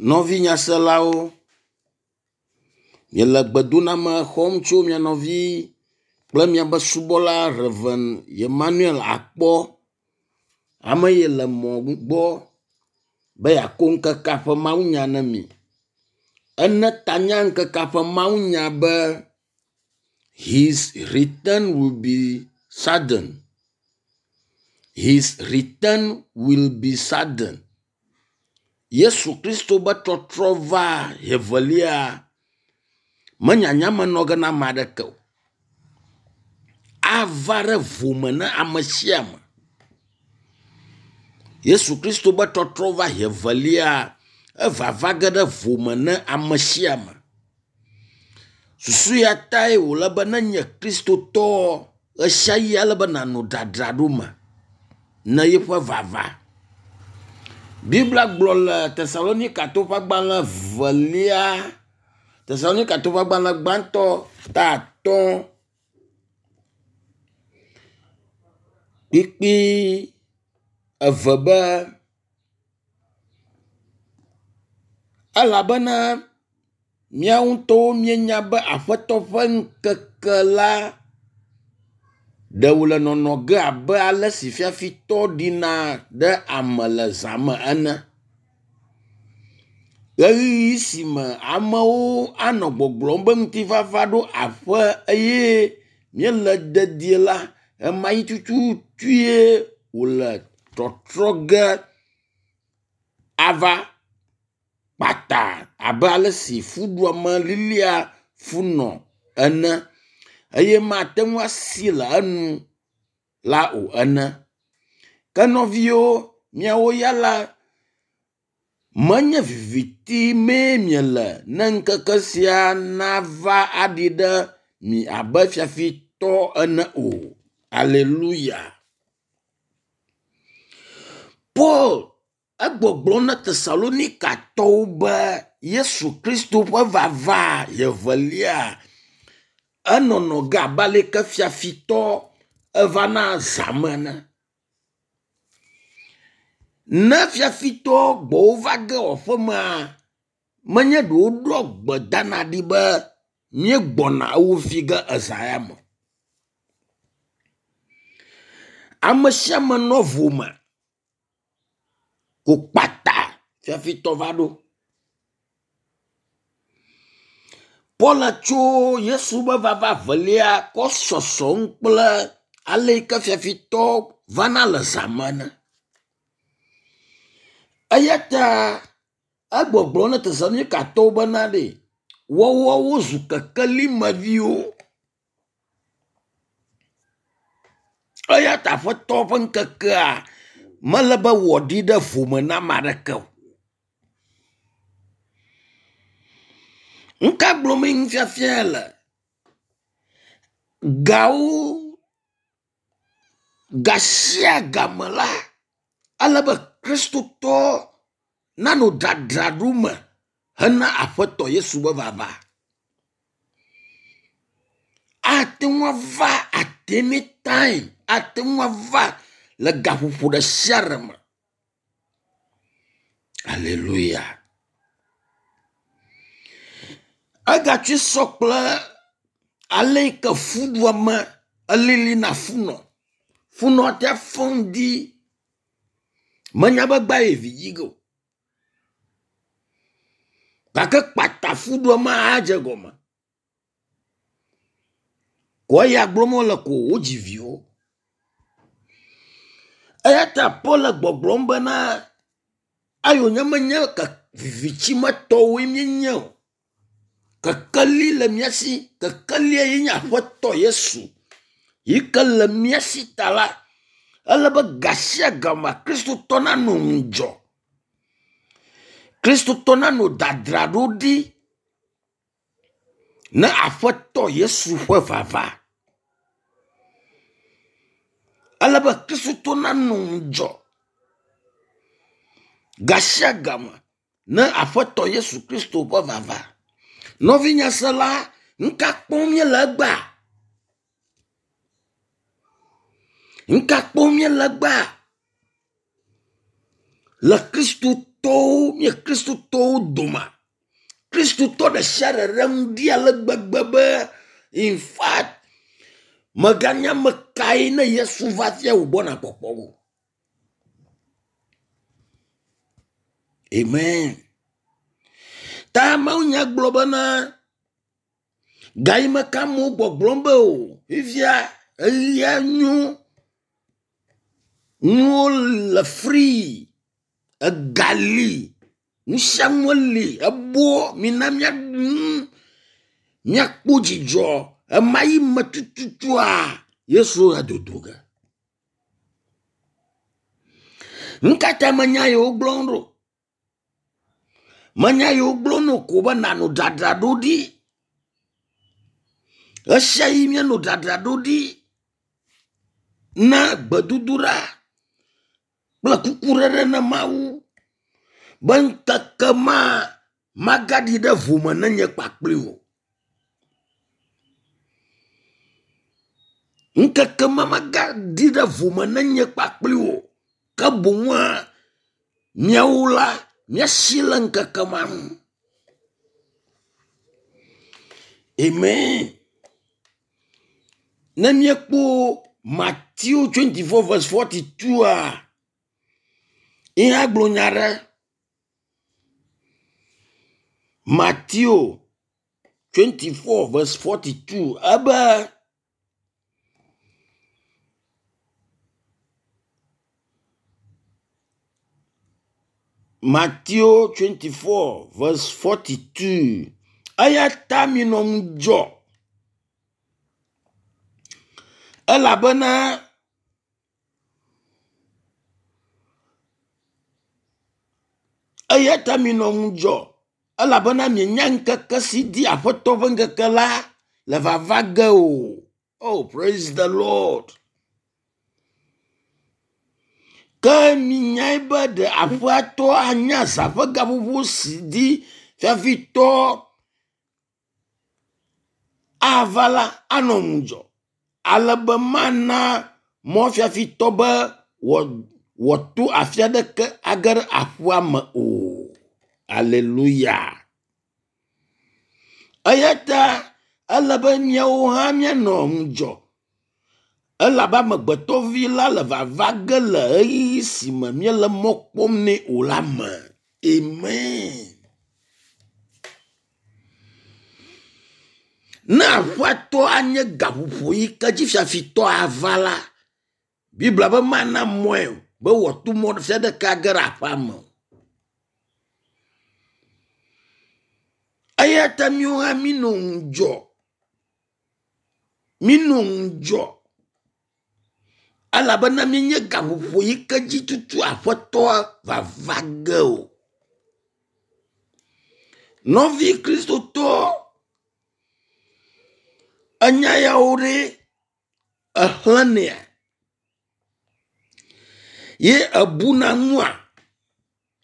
Nɔvi nyaselawo, miele gbedoname xɔm tso mia nɔvi kple miabe subɔla Rev. Emmanuel Akpɔ. Ame yi le mɔ gbɔ be yeakɔ ŋkekea ƒe mawunya na mi. Ene ta na ŋkekea ƒe mawunya be his return will be sudden. His return will be sudden. Yesu Kristo be trɔtrɔ va evelia menyanya me nɔ ge na ame aɖeke o. Ava ɖe vome na ame sia ame. Yesu Kristo be trɔtrɔ va evelia evava ge ɖe vome na ame sia ame. Susu ya tae wòle be ne nye Kristotɔ ɣesiaɣi ele be nànɔ dzadzraɖo me ne yeƒe vava. Biblia gblɔ le Tesalonikatɔwo ƒe agbalẽ velia, Tesalonikatɔwo ƒe agbalẽ gbãtɔ ta atɔ̃ kpukpui eve be, elabena míawo ŋutɔwo míenya be Aƒetɔ ƒe ŋkeke la ɖe wòle nɔnɔ ge abe ale si fiafitɔ ɖina ɖe ame le zã me ene. Ɣeyiɣi si me amewo anɔ gbɔgblɔm be ŋutifafa ɖo aƒe eye míele dedie la, ɣemaɣi tututue wòle trɔtrɔ ge ava kpata abe ale si fuɖuame lilia funɔ ene eye mate ŋu asi le enu la o ene. Ke nɔviwo, miawo ya la, menye viviti mee miele ne ŋkeke sia nava aɖi ɖe mi abe fiafitɔ ene o. Aleluya. Paul egbɔgblɔm na Tesalonikatɔwo be Yesu Kristo ƒe vava evelia enɔnɔ ge abe aleke fiafitɔ evana zã me ene. Ne fiafitɔ gbɔwò va ge wò aƒemea, menye ɖe woɖoa gbe dana ɖi be míegbɔna ewo fi ge eza ya me o. Ame sia ame nɔ vo me ko kpata fiafitɔ va ɖo. Paul tso Yesu be vava velia kɔ sɔsɔm kple ale yi ke fiafitɔ vana le zã me ene. Eya ta egbɔgblɔ na Tesalonikatɔwo bena ɖe woawo wozu kekelimeviwo. Eya ta Aƒetɔ ƒe ŋkekea mele be wòaɖi ɖe vome na ame aɖeke o. Nu ka gblɔmee nufiafia le? Gawo gasia game la, ele be Kristotɔ nanɔ dzadzraɖo me hena Aƒetɔ Yesu be vava. Ate ŋu ava at any time, ate ŋu ava le gaƒoƒo ɖe sia ɖe me. Aleluya. Egatsi sɔ kple ale yi ke fuɖuame elilina funɔ. Funɔ ate fɔ ŋdi menya be egbea ye vi dzi ge o. Gake kpata fuɖuame adze gɔme. Ko eya gblɔm wole ko wodzi viwo. Eya ta Paul le gbɔgblɔm bena eyi wònye menye vivitimetɔwoe míenye o. Kekeli le mía si. Kekelia ye nye Aƒetɔ Yesu yi ke le mía si ta la, ele be gasiagame Kristotɔ nanɔ ŋudzɔ. Kristotɔ nanɔ dzadzraɖo ɖi ne Aƒetɔ Yesu ƒe vava. Ele be Kristotɔ nanɔ ŋudzɔ gasiagame ne Aƒetɔ Yesu Kristo ƒe vava. Nɔvi nyasela, nu ka kpɔm míele egbea? Nu ka kpɔm míele egbea? Le Kristo ŋutɔwo, mía Kristotɔwo dome, Kristotɔ ɖe sia ɖe ɖe ŋu ɖi ale gbegbe be in fact mèganya ame kae ne Yesu va fia wògbɔna kpɔkpɔ o. Amen. Ta mawunya gblɔ bena gayime ke amewo gbɔgblɔm be o fifia eɣia nyo nuwo le free ega li nu sia nu li ebɔ mina míaɖu nu míakpɔ dzidzɔ ema yi me tututua Yesu adodo ge. Nu ka ta menya yewo gblɔm ɖo? Menya yewo gblɔm no ko be nànɔ dzadzraɖo ɖi. Ɣesiaɣi míanɔ dzadzraɖo ɖi na gbedodoɖa kple kukuɖeɖe na Mawu be ŋkeke ma magaɖi ɖe vome ne nye kpakpli wò. Ŋkeke ma magaɖi ɖe vome ne nye kpakpli wò. Ke boŋua míawo la míasi le ŋkeke ma nu. Amen. Ne míekpɔ Matthew 24 verse 42a, ye hã gblɔ nya ɖe. Matthew 24 verse 42 ebe Matthew 24 verse 42 eya ta minɔ ŋudzɔ elabena Eya ta minɔ ŋudzɔ elabena mienya ŋkeke si di Aƒetɔ ƒe ŋkeke la le vava ge o. Oh, praise the Lord. Ke minyae be ɖe aƒeatɔ anya zã ƒe gaƒoƒo si di fiafitɔ ava la anɔ ŋudzɔ ale be mana mɔfiafitɔ be wòato afi aɖeke age ɖe aƒea me o. Aleluya. Eya ta ele be míawo hã míanɔ ŋudzɔ elabe amegbetɔvi la le vava ge le ɣeyiɣi si me míele mɔ kpɔm nɛ o la me. Amen. Ne aƒeatɔ anye gaƒoƒo yi ke dzi fiafitɔ ava la, Biblia be mana mɔe be wòato mɔ sia ɖeka age ɖe aƒea me o. Eya ta míawo hã mínɔ ŋudzɔ. Mínɔ ŋudzɔ elabena míenye gaƒoƒo yi ke dzi tutu aƒetɔa vava ge o. Nɔvi kristotɔ enya yawo ɖe exlẽnɛa ye ebuna nua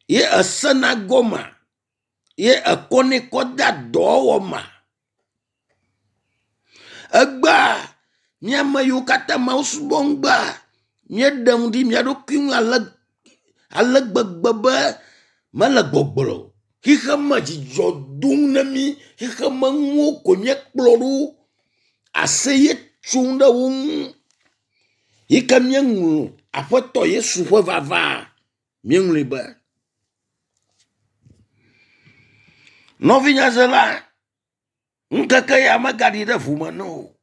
ye esena gɔmea ye ekɔnɛ kɔ dea dɔwɔwɔ mea. Egbea mía ame yiwo katã Mawu subɔm gbea, míeɖe ŋu ɖi mía ɖokui ŋu ale ale gbegbe be mele gbɔgblɔ o. Xixeme dzidzɔ dom na mí, xixeme nuwo ko míekplɔ ɖo, aseye tsom ɖe wo ŋu yi ke míeŋlɔ Aƒetɔ Yesu ƒe vava míeŋlɔe be. Nɔvinyazela, ŋkeke ya megaɖi ɖe ʋu me na o.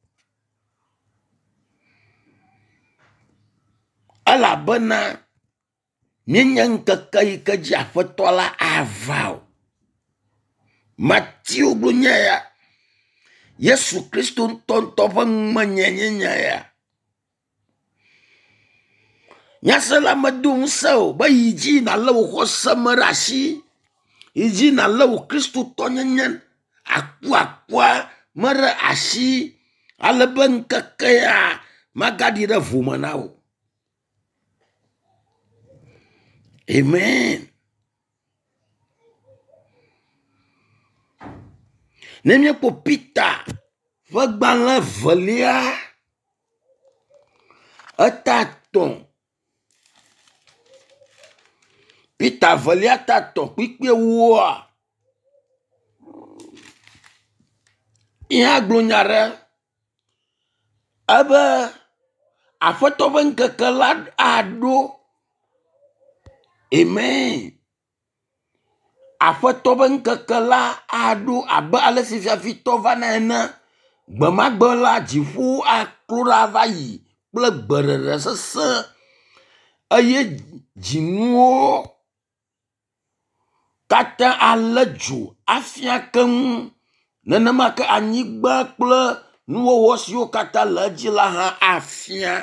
Elabena míenye ŋkeke yi ke dzi Aƒetɔ la ava o. Mateo gblɔ nya ya. Yesu Kristo ŋutɔŋutɔ ƒe numenyae nye nya ya. Nyasela medo ŋusẽ o be yi dzi nàlé wò xɔse me ɖe asi. Yi dzi nàlé wò kristotɔnyenye akuakua me ɖe asi ale be ŋkeke ya magaɖi ɖe vo me na wò. Amen. Ne míekpɔ Peter ƒe gbalẽ evelia eta tɔ̃ Peter velia ta tɔ̃ kpukpui ewoa, ye hã gblɔ nya ɖe ebe Aƒetɔ ƒe ŋkeke la aɖo. Amen. Aƒetɔ ƒe ŋkeke la aɖo abe ale si fiafitɔ vana ene. Gbe ma gbe la dziƒo aklo ɖa va yi kple gbeɖeɖe sesẽ eye dzinuwo katã alé dzo afia keŋ. Nenema ke anyigba kple nuwɔwɔ siwo katã le edzi la hã afia.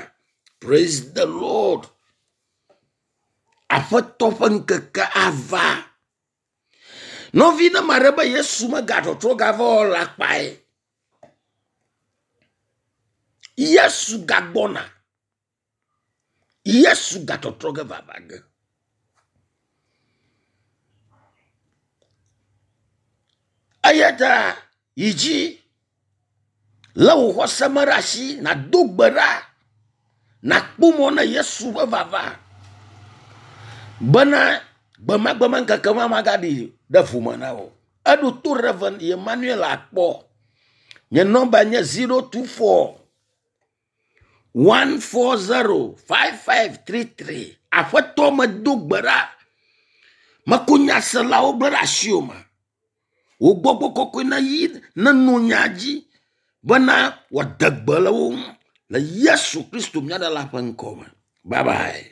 Praise the Lord. Aƒetɔ ƒe ŋkeke ava. Nɔvi ne ame aɖe be Yesu megatrɔtrɔ gava o la kpae. Yesu gagbɔna. Yesu gatɔtrɔ ge vava ge. Eya ta yi dzi lé wò xɔse me ɖe asi nàdo gbe ɖa nàkpɔ mɔ na Yesu ƒe vava bena gbemagbe me ŋkeke ma magaɖi ɖe vo me na wò. Eɖo to Rev. Emmanuel akpɔ. Nye nɔmba nye 024 140 5533. Aƒetɔ medo gbe ɖa. Meko nyaselawo gblẽ ɖe asiwò me. Wò gbɔgbɔ kɔkɔe neyi neno nya dzi bena wòade gbe le wo ŋu le Yesu Kristo mía Ɖela ƒe ŋkɔ me. Bye bye.